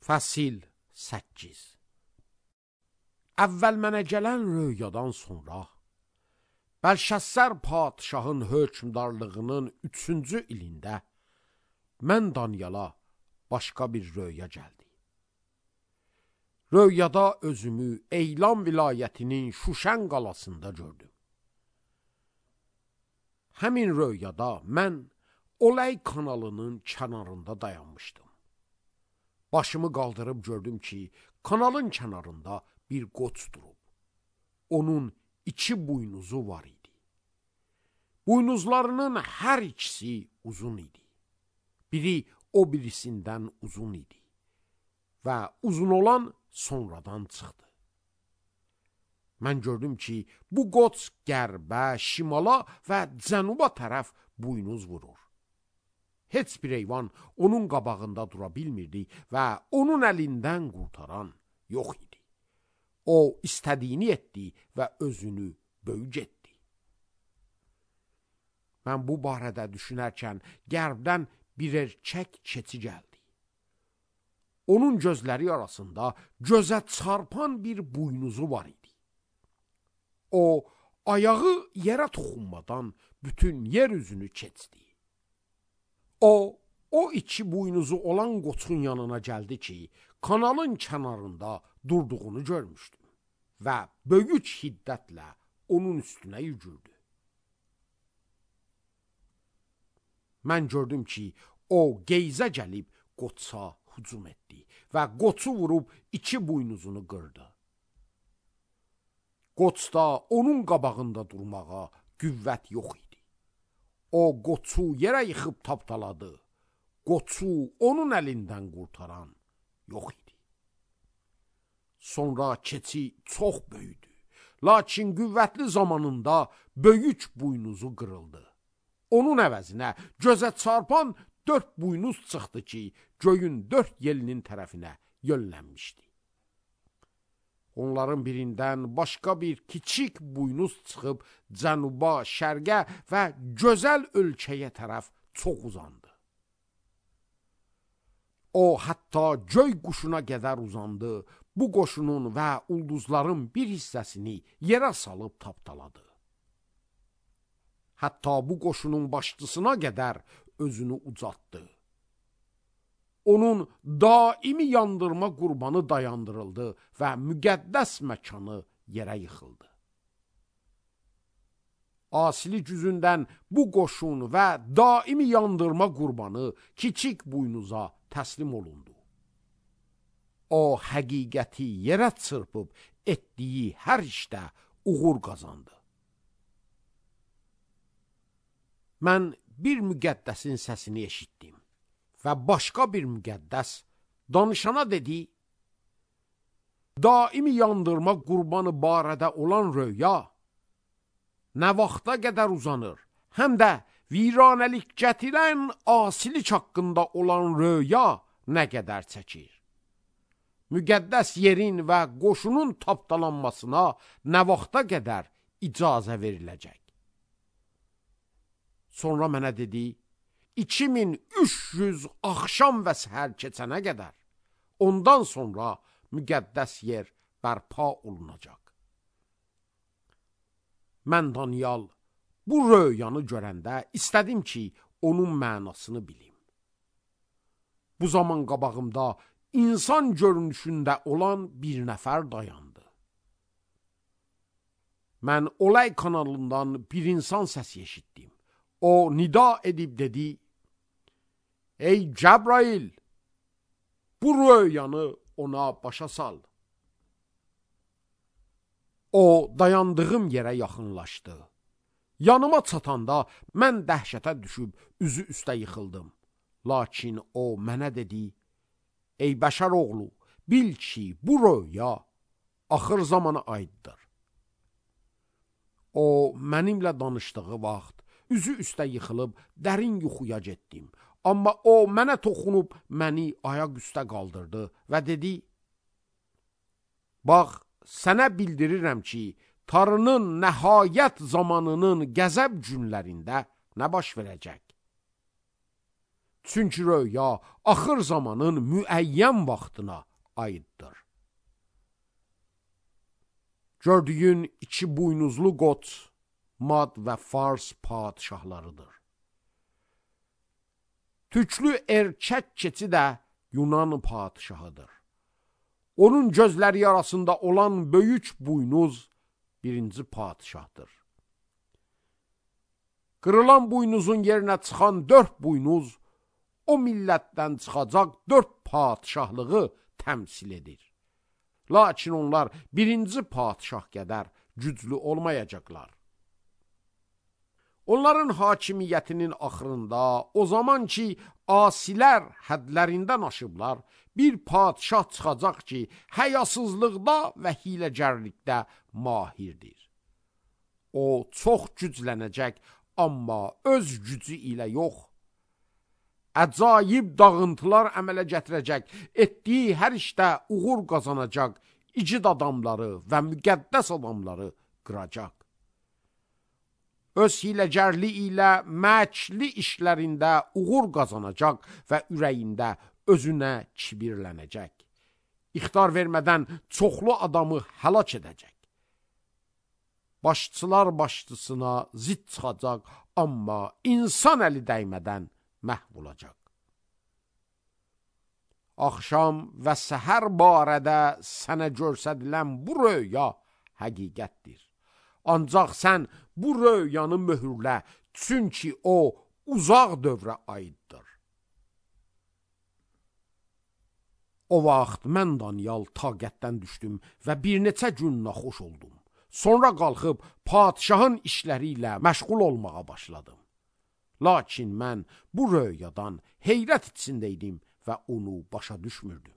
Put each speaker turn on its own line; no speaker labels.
Fəsil 8. Əvvəl mənə gələn röyadan sonra, Bəlşəssər padişahın hökmdarlığının 3-cü ilində, mən Danyala başqa bir röya gəldi. Röyada özümü Eylam vilayətinin Şuşən qalasında gördüm. Həmin röyada mən Olay kanalının kənarında dayanmışdım. Başımı qaldırıb gördüm ki, kanalın kənarında bir qoç durub. Onun 2 buynuzu var idi. Buynuzlarının hər ikisi uzun idi. Biri o birisindən uzun idi. Və uzun olan sonradan çıxdı. Mən gördüm ki, bu qoç qərbə, şimala və cənuba tərəf buynuz vurur. Heç bir heyvan onun qabağında dura bilmirdi və onun əlindən qurtaran yox idi. O istədiyini etdi və özünü böyük etdi. Mən bu barədə düşünərkən qərbdən bir erkək keçi gəldi. Onun gözləri arasında gözə çarpan bir buynuzu var idi. O ayağı yerə toxunmadan bütün yer üzünü keçdi. O 2 buynuzu olan qoçun yanına gəldi ki, kanalın kənarında durduğunu görmüşdüm və böyük hiddətlə onun üstünə yügürdü. Mən gördüm ki, o geyzə gəlib qoça hücum etdi və qoçu vurub 2 buynuzunu qırdı. Qoçda onun qabağında durmağa qüvvət yox idi. O qoçu yerə yıxıb tapdaladı. Qoçu onun əlindən qurtaran yox idi. Sonra keçi çox böyüdü. Lakin qüvvətli zamanında böyük buynuzu qırıldı. Onun əvəzinə gözə çarpan 4 buynuz çıxdı ki, göyün 4 yelinin tərəfinə yönlənmişdi. Onların birindən başqa bir kiçik buynuz çıxıb cənuba, şərqə və gözəl ölkəyə tərəf çox uzandı. O, hətta göy quşuna qədər uzandı, bu qoşunun və ulduzların bir hissəsini yerə salıb tapdaladı. Hətta bu qoşunun başçısına qədər özünü ucaltdı. Onun daimi yandırma qurbanı dayandırıldı və müqəddəs məkanı yerə yıxıldı. Asili güzündən bu qoşun və daimi yandırma qurbanı kiçik buynuza təslim olundu. O həqiqəti yerə çırpıb etdiyi hər işdə uğur qazandı. Mən bir müqəddəsin səsini eşitdim və başqa bir müqəddəs danışana dedi, daimi yandırma qurbanı barədə olan röya nə vaxta qədər uzanır, həm də viranəlik gətirən asilik haqqında olan röya nə qədər çəkir. Müqəddəs yerin və qoşunun tapdalanmasına nə vaxta qədər icazə veriləcək. Sonra mənə dedi, 2300 axşam və səhər keçənə qədər, ondan sonra müqəddəs yer bərpa olunacaq. Mən Danyal bu röyanı görəndə istədim ki, onun mənasını bilim. Bu zaman qabağımda insan görünüşündə olan bir nəfər dayandı. Mən Olay kanalından bir insan səsi eşitdim. O nida edib dedi, ey Cəbrail, bu röyanı ona başa sal. O dayandığım yerə yaxınlaşdı. Yanıma çatanda mən dəhşətə düşüb üzü üstə yıxıldım. Lakin o mənə dedi, ey bəşər oğlu, bil ki, bu röya axır zamana aiddir. O mənimlə danışdığı vaxt üzü üstə yıxılıb dərin yuxuya getdim. Amma o mənə toxunub məni ayaq üstə qaldırdı və dedi, bax, sənə bildirirəm ki, Tanrının nəhayət zamanının qəzəb günlərində nə baş verəcək? Çünki röya axır zamanın müəyyən vaxtına aiddir. Gördüyün iki buynuzlu qoç Mad və Fars padişahlarıdır. Tüklü erkək keçi də Yunan padişahıdır. Onun gözləri arasında olan böyük buynuz birinci padişahdır. Qırılan buynuzun yerinə çıxan 4 buynuz o millətdən çıxacaq 4 padişahlığı təmsil edir. Lakin onlar birinci padişah qədər güclü olmayacaqlar. Onların hakimiyyətinin axırında o zaman ki asilər hədlərindən aşıblar, bir padişah çıxacaq ki həyasızlıqda və hiləgərlikdə mahirdir. O çox güclənəcək, amma öz gücü ilə yox. Əcayib dağıntılar əmələ gətirəcək, etdiyi hər işdə uğur qazanacaq, igid adamları və müqəddəs adamları qıracaq. Öz hiləgərli ilə məkli işlərində uğur qazanacaq və ürəyində özünə kibirlənəcək. İxtar vermədən çoxlu adamı həlak edəcək. Başçılar başçısına zid çıxacaq, amma insan əli dəymədən məhv olacaq. Axşam və səhər barədə sənə görsədilən bu röya həqiqətdir. Ancaq sən bu röyanı möhürlə, çünki o uzaq dövrə aiddir. O vaxt mən Danyal taqətdən düşdüm və bir neçə gün naxoş oldum. Sonra qalxıb padişahın işləri ilə məşğul olmağa başladım. Lakin mən bu röyadan heyrət içində idim və onu başa düşmürdüm.